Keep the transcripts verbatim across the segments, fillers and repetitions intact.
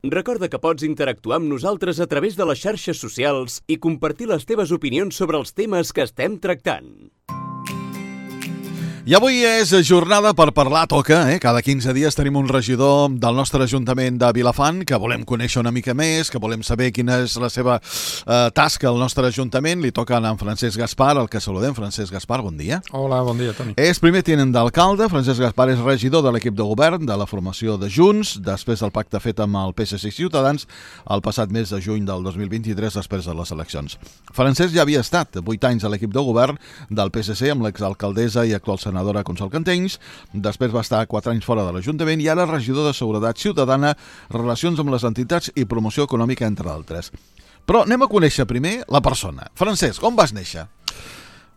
Recorda que pots interactuar amb nosaltres a través de les xarxes socials i compartir les teves opinions sobre els temes que estem tractant. I avui és jornada per parlar, toca, eh? Cada quinze dies tenim un regidor del nostre Ajuntament de Vilafant que volem conèixer una mica més, que volem saber quina és la seva eh, tasca al nostre Ajuntament. Li toca a en Francesc Gaspar, el que saludem. Francesc Gaspar, bon dia. Hola, bon dia, Toni. És primer tinent d'alcalde. Francesc Gaspar és regidor de l'equip de govern de la formació de Junts, després del pacte fet amb el P S C i Ciutadans el passat mes de juny del dos mil vint-i-tres, després de les eleccions. Francesc ja havia estat vuit anys a l'equip de govern del P S C amb l'exalcaldessa i actual senadora Consol Cantenys, després va estar quatre anys fora de l'Ajuntament i ara regidor de Seguretat Ciutadana, Relacions amb les entitats i Promoció Econòmica, entre d'altres. Però anem a conèixer primer la persona. Francesc, on vas néixer?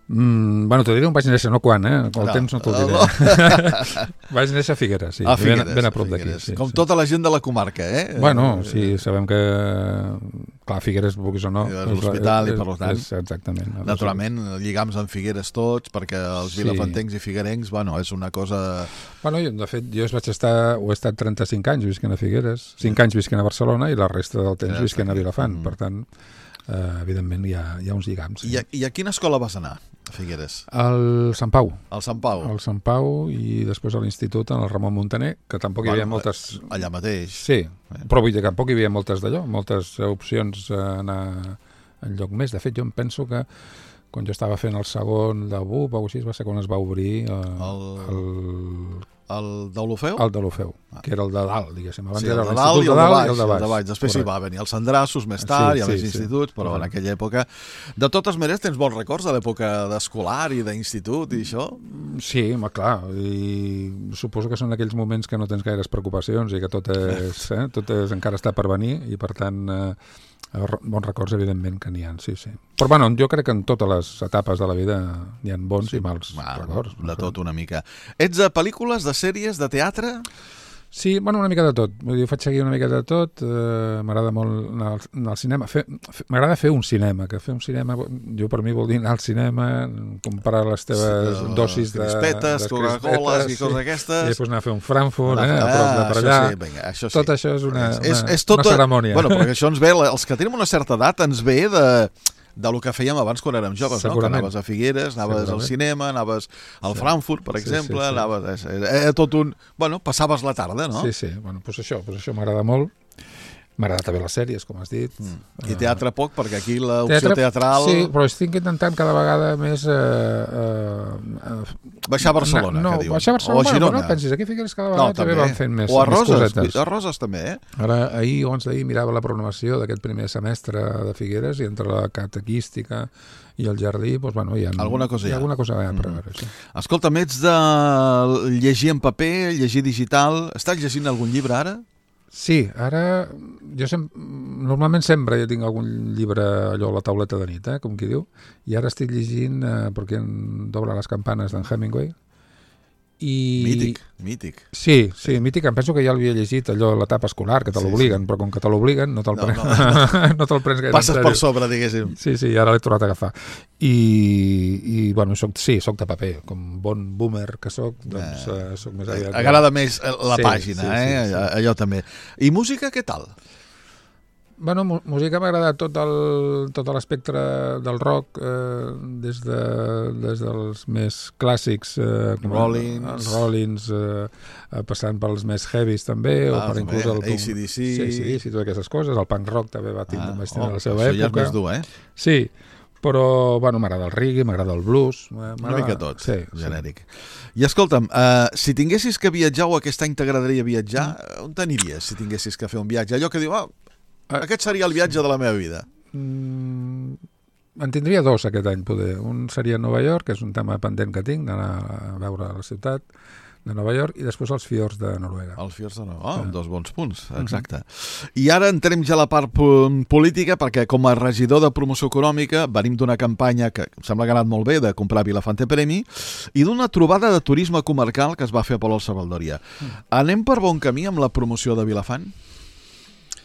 Mm, bueno, t'ho diré on vaig néixer, no quan, eh? El no, temps no t'ho diré. No. Vaig néixer a Figueres, sí. A Figueres, ben, ben a prop d'aquí. Sí, Com sí. tota la gent de la comarca, eh? Bueno, sí, sabem que... Clar, Figueres, vulguis o no... És l'hospital i per tant... És, exactament. Naturalment, lligams amb Figueres tots, perquè els sí. vilafantencs i figuerencs, bueno, és una cosa... Bueno, jo, de fet, jo vaig estar, ho he estat trenta-cinc anys visquent a Figueres, cinc anys visquent a Barcelona i la resta del temps visquent a Vilafant. Mm. Per tant, eh, evidentment, hi ha, hi ha uns lligams. Sí. I, a, I a quina escola vas anar? A Figueres? Al Sant Pau. Al Sant Pau. Al Sant Pau i després a l'institut en el Ramon Muntaner, que tampoc hi havia bueno, moltes... Allà mateix. Sí, però vull dir que tampoc hi havia moltes d'allò, moltes opcions a anar enlloc més. De fet, jo em penso que quan jo estava fent el segon de B U P o així, va ser quan es va obrir eh, el... el... El d'Olofeu? El d'Olofeu, ah. que era el de dalt, diguéssim. Abans sí, era el de dalt i el de baix. El de baix. baix. Després Correcte. hi va venir els Sandrassos més tard, sí, i a més sí, instituts, sí. però Correcte. en aquella època... De totes maneres, tens bons records de l'època d'escolar i d'institut i això? Sí, home, clar. I suposo que són aquells moments que no tens gaires preocupacions i que tot és, eh, tot és encara està per venir i, per tant... Eh, bons records, evidentment, que n'hi ha, sí, sí. Però, bueno, jo crec que en totes les etapes de la vida hi ha bons sí. i mals ah, records. De tot una mica. Ets de pel·lícules, de sèries, de teatre? Sí, bueno, una mica de tot. Vull dir, faig seguir una mica de tot. Eh, m'agrada molt anar al, anar al cinema. Fer, fer, m'agrada fer un cinema, que fer un cinema, jo per mi vol dir anar al cinema, comparar les teves sí, dosis de... Crispetes, Coca-Coles i coses aquestes. I després anar a fer un Frankfurt, eh, a prop de per allà. Això sí, vinga, això sí. Tot això és una, és, una, és tota, una cerimònia. Bueno, perquè això ens ve, els que tenim una certa edat, ens ve de... de lo que fèiem abans quan érem joves, no? Que anaves a Figueres, anaves al cinema, anaves al sí. Frankfurt, per exemple, sí, sí, sí. anaves... Era tot un... Bueno, passaves la tarda, no? Sí, sí, bueno, doncs això, doncs això m'agrada molt. M'agrada també les sèries, com has dit. Mm. I teatre poc, perquè aquí l'opció teatre, teatral... Sí, però estic intentant cada vegada més... Eh, eh, baixar a Barcelona, no, que diuen. Baixar a Barcelona, o a Girona. Bueno, no pensis, aquí Figueres cada vegada no, també van fent més, o a Roses, més cosetes. A Roses també, eh? Ara, ahir o abans d'ahir mirava la programació d'aquest primer semestre de Figueres i entre la catequística i el jardí, doncs, bueno, hi ha alguna cosa, hi ha. Alguna cosa mm. per veure, sí. Escolta, ets de llegir en paper, llegir digital... Estàs llegint algun llibre ara? Sí, ara jo sem normalment sempre jo tinc algun llibre allò a la tauleta de nit, eh, com qui diu, i ara estic llegint eh, perquè em dobla les campanes d'en Hemingway. I... Mític, mític. Sí, sí, mític. Em penso que ja l'havia llegit allò a l'etapa escolar, que te l'obliguen, sí, sí. Però com que te l'obliguen no te'l no, prens, no, no. no te prens gaire. Passes per sobre, diguéssim. Sí, sí, ara l'he tornat a agafar. I, i bueno, soc, sí, soc de paper. Com bon boomer que soc, doncs eh, soc més aviat... Agrada més la sí, pàgina, sí, eh? Sí, sí, allò, sí. allò també. I música, què tal? Bueno, música m'ha agradat tot el, tot l'espectre del rock, eh, des, de, des dels més clàssics, eh, com Rollins, els Rollins, eh, passant pels més heavies també, ah, o per també, inclús el A C D C, sí, A C D C, totes aquestes coses, el punk rock també va tindre, ah, oh, la seva això època. Ja és més dur, eh? Sí, però bueno, m'agrada el reggae, m'agrada el blues. Una mica tot, sí, genèric. Sí. I escolta'm, uh, si tinguessis que viatjar o aquest any t'agradaria viatjar, mm. on t'aniries si tinguessis que fer un viatge? Allò que diu, ah, aquest seria el viatge de la meva vida. Mm, en tindria dos aquest any, poder. Un seria Nova York, que és un tema pendent que tinc, d'anar a veure la ciutat de Nova York, i després els fiords de Noruega. Els fiords de Noruega, oh, dos bons punts, exacte. Uh-huh. I ara entrem ja a la part política, perquè com a regidor de promoció econòmica venim d'una campanya que em sembla que ha anat molt bé, de comprar Vilafante Premi, i d'una trobada de turisme comarcal que es va fer a Palol Salvadòria. Uh-huh. Anem per bon camí amb la promoció de Vilafant?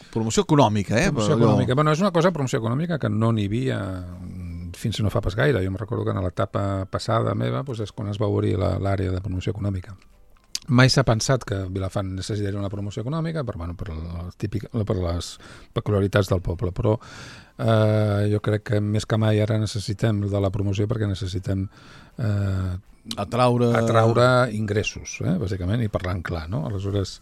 Promoció econòmica, eh? Promoció Però... econòmica. Bueno, és una cosa, promoció econòmica, que no n'hi havia fins no fa pas gaire. Jo em recordo que en l'etapa passada meva doncs és quan es va obrir l'àrea de promoció econòmica. mai s'ha pensat que Vilafant necessitaria una promoció econòmica per, bueno, per, la típica, per les peculiaritats del poble, però eh, jo crec que més que mai ara necessitem de la promoció perquè necessitem eh, atraure... atraure ingressos, eh, bàsicament, i parlant clar, no? Aleshores,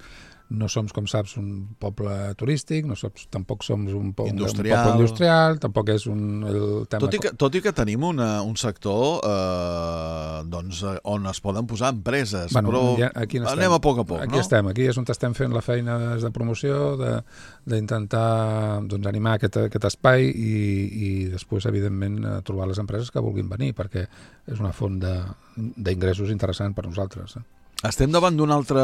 no som, com saps, un poble turístic, no som, tampoc som un, po industrial. un poble industrial, tampoc és un... El tema... Tot i que, tot i que tenim una, un sector eh, doncs, on es poden posar empreses, bueno, però ja, aquí anem a poc a poc, aquí no? estem, aquí és on estem fent la feina de promoció, d'intentar doncs, animar aquest, aquest espai i, i després, evidentment, trobar les empreses que vulguin venir, perquè és una font d'ingressos interessant per nosaltres. Eh? Estem davant d'una altra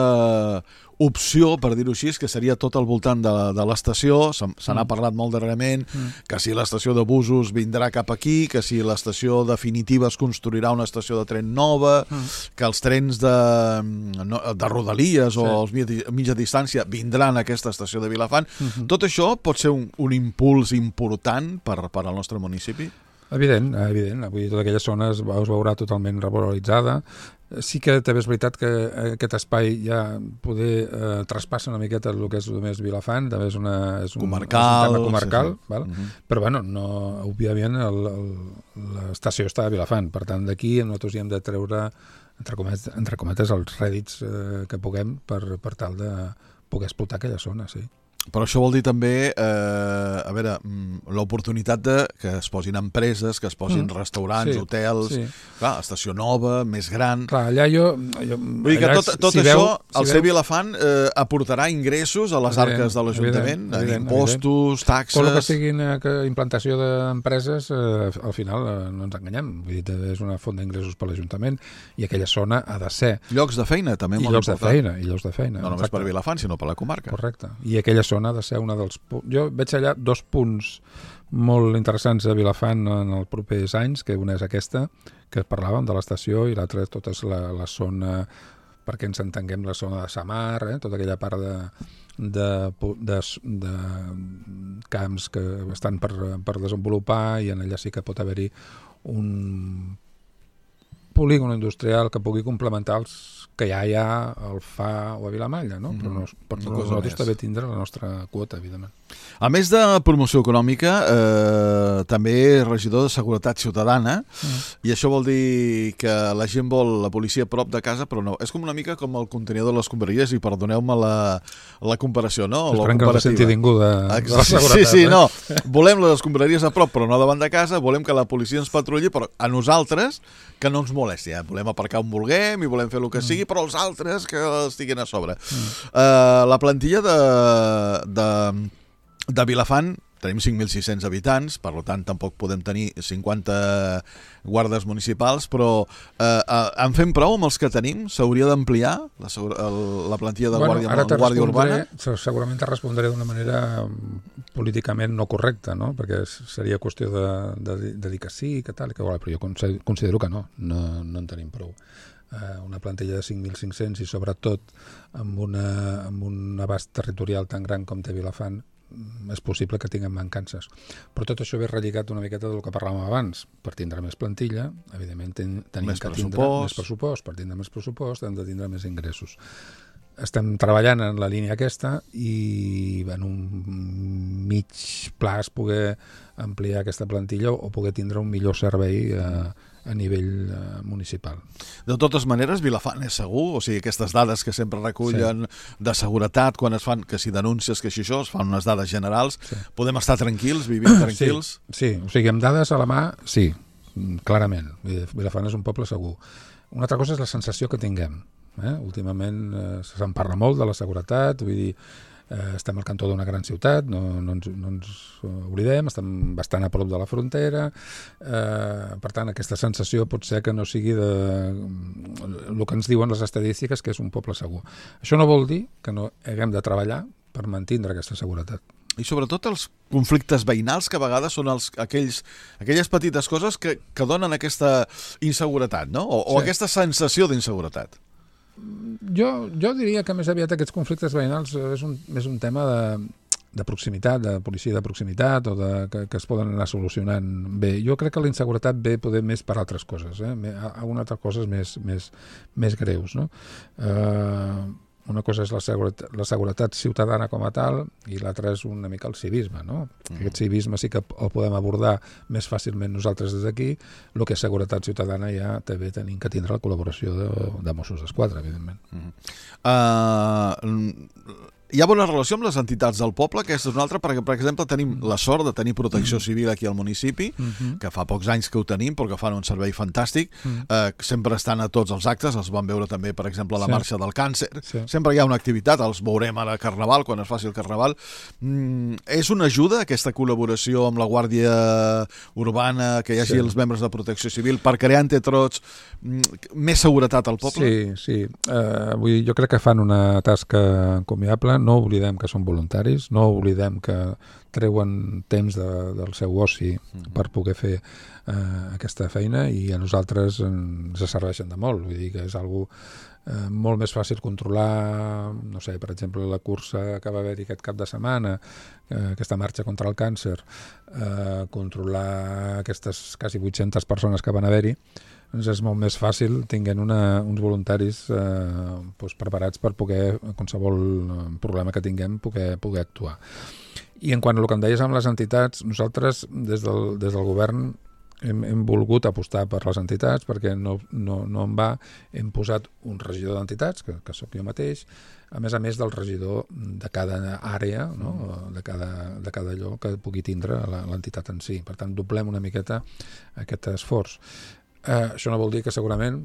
opció, per dir-ho així, que seria tot al voltant de, de l'estació. Se, se n'ha parlat molt darrerament, mm. que si l'estació de busos vindrà cap aquí, que si l'estació definitiva es construirà una estació de tren nova, mm. que els trens de, de Rodalies sí. o els mitja, mitja distància vindran a aquesta estació de Vilafant. Mm-hmm. Tot això pot ser un, un impuls important per, per al nostre municipi? Evident, evident. Avui tota aquella zona es, es veurà totalment revaloritzada. Sí que també és veritat que aquest espai ja poder eh, traspassa una miqueta el que és només Vilafant, també és, una, és, un, comarcal, és un tema comarcal, sí, sí. Val? Uh-huh. Però bueno, no, òbviament l'estació està a Vilafant, per tant d'aquí nosaltres hi hem de treure entre cometes, entre cometes els rèdits eh, que puguem per, per tal de poder explotar aquella zona, sí. Però això vol dir també, eh, a veure, l'oportunitat de que es posin empreses, que es posin mm. restaurants, sí, hotels, sí. Clar, estació nova, més gran... Clar, allà jo... jo Vull dir que tot, tot si això, veu, al si ser veu... Vilafant, eh, aportarà ingressos a les evident, arques de l'Ajuntament, en impostos, evident. Taxes... Tot el que sigui una implantació d'empreses, eh, al final eh, no ens enganyem, vull dir, és una font d'ingressos per l'Ajuntament i aquella zona ha de ser... Llocs de feina, també I molt llocs important. de feina, i llocs de feina. No només exacte. Per Vilafant, sinó per la comarca. Correcte. I aquella zona ha de ser una dels... Jo veig allà dos punts molt interessants a Vilafant en els propers anys, que una és aquesta, que parlàvem de l'estació, i l'altra tota és la, la zona, perquè ens entenguem, la zona de Samar, eh? Tota aquella part de, de, de, de camps que estan per, per desenvolupar, i en allà sí que pot haver-hi un polígon industrial que pugui complementar els que ja hi ha al F A o a Vilamalla, no? Mm-hmm. Però no, per no nosaltres també tindrà la nostra quota, evidentment. A més de promoció econòmica, eh, també regidor de seguretat ciutadana, mm. i això vol dir que la gent vol la policia a prop de casa, però no. És com una mica com el contenidor de les escombraries, i perdoneu-me la, la comparació, no? Esperem que no se senti ningú de, de la seguretat. Sí, sí, eh? no. Volem les escombraries a prop, però no davant de casa, volem que la policia ens patrulli, però a nosaltres que no ens molesti. Eh? Volem aparcar on vulguem i volem fer el que sigui, però els altres que estiguin a sobre. Mm. Uh, la plantilla de, de, de Vilafant, tenim cinc mil sis-cents habitants, per tant tampoc podem tenir cinquanta guardes municipals, però eh, eh, en fem prou amb els que tenim? S'hauria d'ampliar la, la plantilla de bueno, guàrdia, guàrdia urbana? Segurament te respondré d'una manera políticament no correcta, no? Perquè seria qüestió de, de, de dir que sí, que tal, que, però jo considero que no, no, no en tenim prou. Una plantilla de cinc mil cinc-cents i sobretot amb, una, amb un abast territorial tan gran com té Vilafant, és possible que tinguem mancances. Però tot això ve relligat una miqueta del que parlàvem abans. Per tindre més plantilla, evidentment ten, tenim més que pressupost. tindre més pressupost. Per tindre més pressupost hem de tindre més ingressos. Estem treballant en la línia aquesta i en un mig plaç poder ampliar aquesta plantilla o poder tindre un millor servei a, a nivell uh, municipal. De totes maneres, Vilafant és segur? O sigui, aquestes dades que sempre recullen sí. de seguretat, quan es fan, que si denúncies, que si això, es fan unes dades generals, sí. podem estar tranquils, vivint tranquils? Sí, sí, o sigui, amb dades a la mà, sí, clarament. Vilafant és un poble segur. Una altra cosa és la sensació que tinguem. Eh? Últimament eh, se'n parla molt de la seguretat, vull dir, eh, estem al cantó d'una gran ciutat, no, no, ens, no ens oblidem, estem bastant a prop de la frontera, eh, per tant aquesta sensació pot ser que no sigui de el que ens diuen les estadístiques, que és un poble segur. Això no vol dir que no haguem de treballar per mantindre aquesta seguretat. I sobretot els conflictes veïnals, que a vegades són els, aquells, aquelles petites coses que, que donen aquesta inseguretat, no? O, sí. o aquesta sensació d'inseguretat. Jo, jo diria que més aviat aquests conflictes veïnals és un, és un tema de, de proximitat, de policia de proximitat, o de, que, que es poden anar solucionant bé. Jo crec que la inseguretat ve poder més per altres coses, eh? Algunes altres coses més, més, més greus, no? Eh, una cosa és la seguretat, la seguretat ciutadana com a tal, i l'altra és una mica el civisme, no? Mm. Aquest civisme sí que el podem abordar més fàcilment nosaltres des d'aquí. El que és seguretat ciutadana ja també tenim que tindre la col·laboració de, de Mossos d'Esquadra, evidentment. Mm. Uh, hi ha bona relació amb les entitats del poble, que és una altra, perquè, per exemple, tenim la sort de tenir protecció civil aquí al municipi, mm-hmm. que fa pocs anys que ho tenim, però que fan un servei fantàstic, mm. eh, sempre estan a tots els actes, els vam veure també, per exemple, a la sí. Marxa del Càncer, sí. Sempre hi ha una activitat, els veurem ara a Carnaval, quan es faci el Carnaval. Mm, és una ajuda, aquesta col·laboració amb la Guàrdia Urbana, que hi hagi sí. els membres de protecció civil, per crear entre tots mm, més seguretat al poble? Sí, sí. Uh, vull dir, jo crec que fan una tasca encomiable. No oblidem que són voluntaris, no oblidem que treuen temps de, del seu oci mm-hmm. per poder fer eh, aquesta feina, i a nosaltres ens serveixen de molt. Vull dir que és algo eh, molt més fàcil controlar, no sé, per exemple, la cursa que va haver-hi aquest cap de setmana, eh, aquesta marxa contra el càncer, eh, controlar aquestes quasi vuit-centes persones que van haver-hi, doncs és molt més fàcil tinguent una, uns voluntaris eh, doncs preparats per poder, qualsevol problema que tinguem, poder, poder actuar. I en quant a el que em deies amb les entitats, nosaltres des del, des del govern hem, hem volgut apostar per les entitats, perquè no, no, no en va, hem posat un regidor d'entitats, que, que sóc jo mateix, a més a més del regidor de cada àrea, no? de, cada, de cada allò que pugui tindre l'entitat en si. Per tant, doblem una miqueta aquest esforç. Uh, això no vol dir que segurament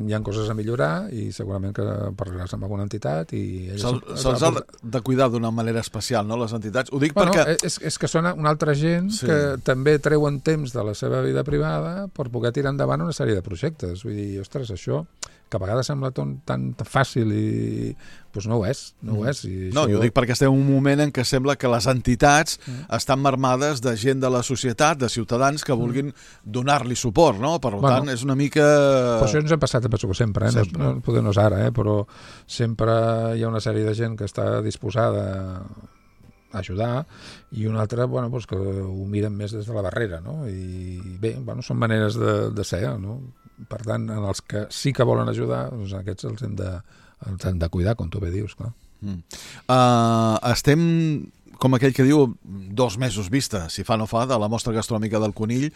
hi ha coses a millorar, i segurament que parlaràs amb alguna entitat i se'ls se ha de, de cuidar d'una manera especial, no, les entitats? Ho dic bueno, perquè... És, és que són una altra gent sí. que també treuen temps de la seva vida privada per poder tirar endavant una sèrie de projectes. Vull dir, ostres, això que a vegades sembla tan, tan fàcil i doncs no ho és, no mm. ho és. I no, això... jo dic perquè estem en un moment en què sembla que les entitats mm. estan marmades de gent de la societat, de ciutadans que vulguin mm. donar-li suport, no? Per bueno, tant, és una mica... Però això ens ha passat, penso que sempre, eh? sempre. No, no, potser no és ara, eh? Però sempre hi ha una sèrie de gent que està disposada a ajudar, i una altra, bueno, doncs que ho miren més des de la barrera, no? I bé, bueno, són maneres de, de ser, no? Per tant, en els que sí que volen ajudar, doncs aquests els hem de, els hem de cuidar, com tu bé dius, clar. Mm. Uh, estem, com aquell que diu, dos mesos vista, si fa no fa, de la mostra gastronòmica del Conill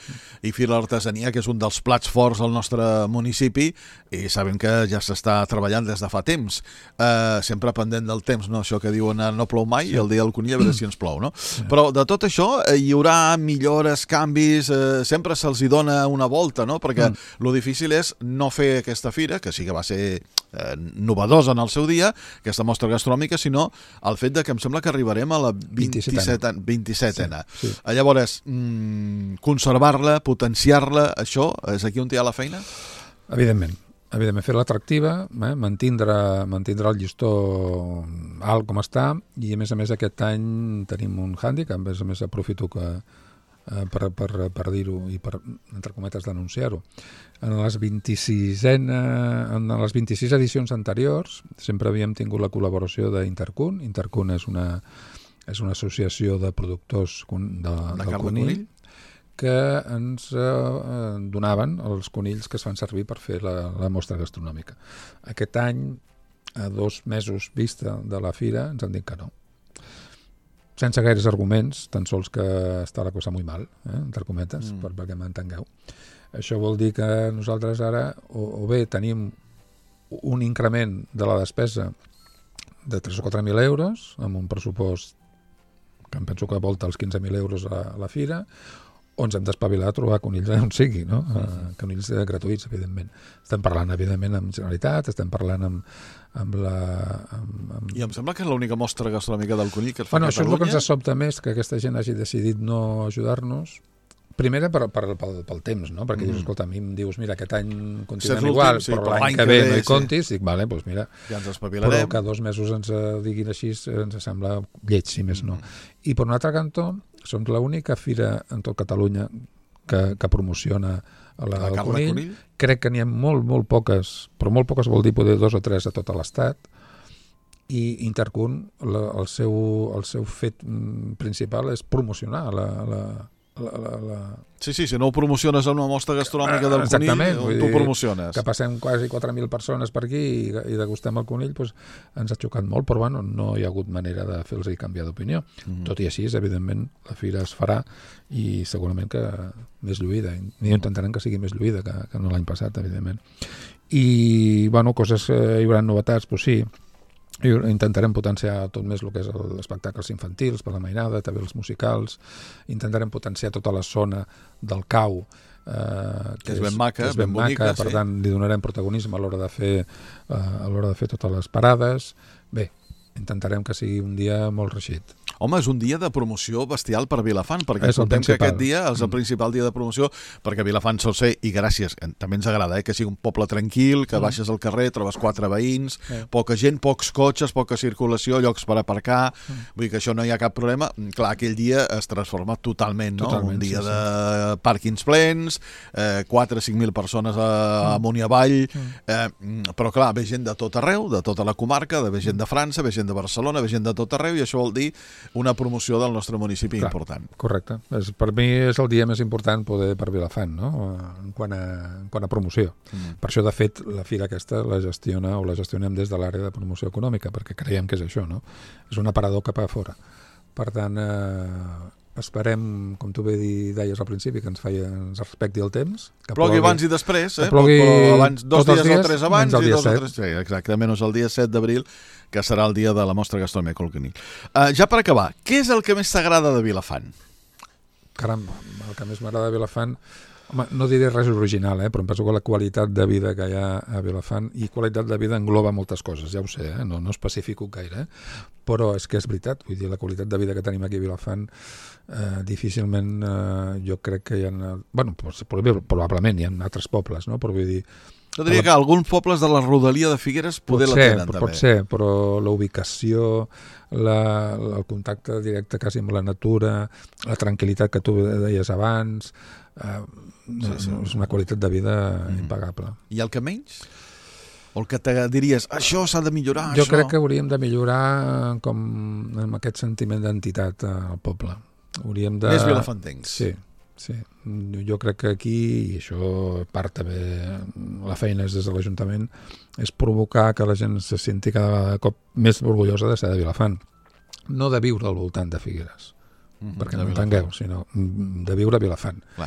i Fira l'Artesania, que és un dels plats forts del nostre municipi, i sabem que ja s'està treballant des de fa temps. Uh, sempre pendent del temps, no? Això que diuen no plou mai, sí. I el dia del Conill a veure si ens plou, no? Sí. Però de tot això hi haurà millores, canvis, uh, sempre se'ls hi dona una volta, no? Perquè mm. lo difícil és no fer aquesta fira, que sí que va ser eh, novedosa en el seu dia, aquesta mostra gastronòmica, sinó el fet de que em sembla que arribarem a la vint-i-setena. Sí, sí. Llavors, mmm, conservar-la, potenciar-la, això, és aquí on hi ha la feina? Evidentment. Evidentment, fer-la atractiva, eh? mantindre, mantindre el llistó alt com està, i a més a més aquest any tenim un hàndicap, a més a més aprofito que eh, per, per, per dir-ho i per, entre cometes, denunciar-ho. En les vint-i-sis en les vint-i-sis edicions anteriors sempre havíem tingut la col·laboració d'Intercun. Intercun és una és una associació de productors de, de del conill, conill que ens eh, donaven els conills que es fan servir per fer la, la mostra gastronòmica. Aquest any, a dos mesos vista de la fira, ens han dit que no. Sense gaires arguments, tan sols que està la cosa molt mal, eh, entre cometes, mm. per, perquè m'entengueu. Això vol dir que nosaltres ara o, o bé tenim un increment de la despesa de tres o quatre mil euros, amb un pressupost que em penso que volta els quinze mil euros a la fira, o ens hem d'espavilar a trobar conills on sigui, no? Uh, conills gratuïts, evidentment. Estem parlant, evidentment, amb Generalitat, estem parlant amb, amb la... Amb, amb... I em sembla que és l'única mostra gastronòmica del conill que es fa bueno, a Catalunya. Això és el que ens sobta més, que aquesta gent hagi decidit no ajudar-nos. Primera per, per, pel, pel temps, no? Perquè mm. dius, escolta, a mi em dius, mira, aquest any continuem igual, sí, però l'any que ve no hi comptis, dic, vale, doncs mira, ja ens espavilarem. Però que dos mesos ens diguin així ens sembla lleig, si més no. Mm. I per un altre cantó, som l'única fira en tot Catalunya que, que promociona la, la el conill. conill. Crec que n'hi ha molt, molt poques, però molt poques vol dir poder dos o tres a tot l'estat, i Intercun, la, el, seu, el seu fet principal és promocionar la... la La, la, la... Sí, sí, si no ho promociones en una mostra gastronòmica del Exactament, conill, tu ho promociones. Que passem quasi quatre mil persones per aquí i, i degustem el conill, doncs ens ha xocat molt, però bueno, no hi ha hagut manera de fer-los canviar d'opinió. Mm. Tot i així, evidentment, la fira es farà i segurament que més lluïda. I intentarem que sigui més lluïda que, que no l'any passat, evidentment. I, bueno, coses, hi haurà novetats, doncs sí, i intentarem potenciar tot més el que és els espectacles infantils per la mainada, també els musicals, intentarem potenciar tota la zona del cau, eh, que és ben maca, que és ben, ben bonica, maca, per sí. tant li donarem protagonisme a l'hora de fer eh, a l'hora de fer totes les parades. Bé, intentarem que sigui un dia molt reixit. Home, és un dia de promoció bestial per Vilafant, perquè contem que aquest dia és el mm. principal dia de promoció, perquè Vilafant sol ser, i gràcies, també ens agrada, eh, que sigui un poble tranquil, que mm. baixes al carrer, trobes quatre veïns, mm. poca gent, pocs cotxes, poca circulació, llocs per aparcar, mm. vull dir que això no hi ha cap problema. Clar, aquell dia es transforma totalment, no? Totalment, un dia sí, de sí. pàrquings plens, eh, quatre o cinc mil persones a, mm. amunt i avall, mm. eh, però clar, ve gent de tot arreu, de tota la comarca, ve gent de França, ve gent de Barcelona, ve gent de tot arreu, i això vol dir una promoció del nostre municipi Clar, important. Correcte. És, per mi és el dia més important poder per Vilafant, no? En quant a, en quant a promoció. Mm. Per això, de fet, la fira aquesta la gestiona o la gestionem des de l'àrea de promoció econòmica, perquè creiem que és això, no? És un aparador cap a fora. Per tant, eh, esperem, com tu bé deies al principi, que ens, feia, ens respecti el temps. Que plogui, plogui abans i després, eh? Que plogui abans, dos dies, dies o tres abans i dos set. o tres... Sí, exacte, menys el dia set d'abril, que serà el dia de la mostra gastronòmica al Conill. Uh, ja per acabar, què és el que més t'agrada de Vilafant? Caram, el que més m'agrada de Vilafant... Home, no diré res original, eh? Però em penso que la qualitat de vida que hi ha a Vilafant, i qualitat de vida engloba moltes coses, ja ho sé, eh? no, no especifico gaire, eh? Però és que és veritat, vull dir, la qualitat de vida que tenim aquí a Vilafant, eh, difícilment eh, jo crec que hi ha... Bueno, probablement hi ha altres pobles, no? Però vull dir... Jo diria que alguns pobles de la rodalia de Figueres poder la tenen, també. Pot ser, però la ubicació, la, el contacte directe quasi amb la natura, la tranquil·litat que tu deies abans... Uh, sí, sí. És una qualitat de vida mm. impagable. I el que menys? O el que te diries, això s'ha de millorar, jo això? crec que hauríem de millorar com amb aquest sentiment d'entitat al poble. Hauríem de... Més vilafantencs. Sí, sí. Jo crec que aquí, i això part també, la feina és des de l'Ajuntament, és provocar que la gent se senti cada cop més orgullosa de ser de Vilafant. No de viure al voltant de Figueres. Mm-hmm, perquè no entengueu, sinó de viure a Vilafant. Clar.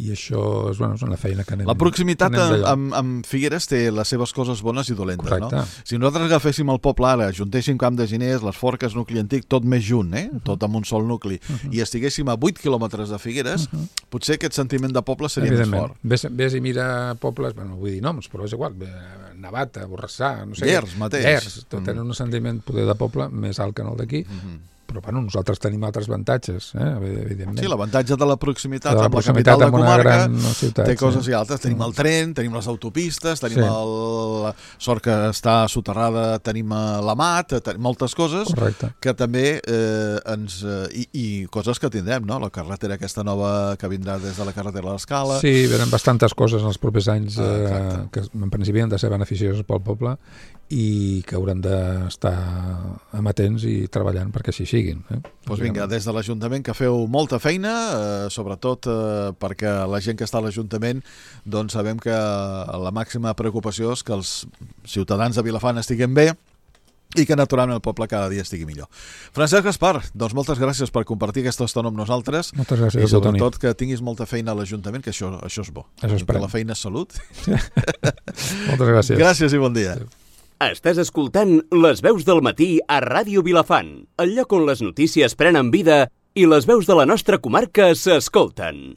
I això és, bueno, és una feina que anem... La proximitat amb, amb Figueres té les seves coses bones i dolentes, correcte, no? Si nosaltres agaféssim el poble ara, juntéssim Camp de Giners, les Forques, nucli antic, tot més junt, eh? Uh-huh. Tot amb un sol nucli, uh-huh. i estiguéssim a vuit quilòmetres de Figueres, uh-huh. potser aquest sentiment de poble seria més fort. Ves, ves i mira pobles, bueno, vull dir noms, però és igual, Navata, Borrassà, no sé... Llers mateix. Llers, tot tenen uh-huh. un sentiment poder de poble més alt que en el d'aquí, uh-huh. però bueno, nosaltres tenim altres avantatges, eh? Evidentment. Sí, l'avantatge de la proximitat de la amb proximitat la capital de comarca ciutat, té coses sí. i altres. Tenim el tren, tenim les autopistes, tenim sí. el... la sort que està soterrada, tenim la mat, tenim moltes coses. Correcte. Que també eh, ens... Eh, i, i coses que tindrem, no? La carretera aquesta nova que vindrà des de la carretera de l'Escala. Sí, venen bastantes coses en els propers anys eh, que en principi han de ser beneficioses pel poble i que haurem d'estar amatents i treballant perquè així siguin. Eh? Doncs vinga, des de l'Ajuntament que feu molta feina, eh, sobretot eh, perquè la gent que està a l'Ajuntament doncs sabem que la màxima preocupació és que els ciutadans de Vilafant estiguin bé i que naturalment el poble cada dia estigui millor. Francesc Gaspar, doncs moltes gràcies per compartir aquesta estona amb nosaltres. Moltes gràcies, i sobretot que tinguis molta feina a l'Ajuntament, que això, això és bo. Això que la feina és salut. Moltes gràcies. Gràcies i bon dia. Estàs escoltant Les veus del matí a Ràdio Vilafant, el lloc on les notícies prenen vida i les veus de la nostra comarca s'escolten.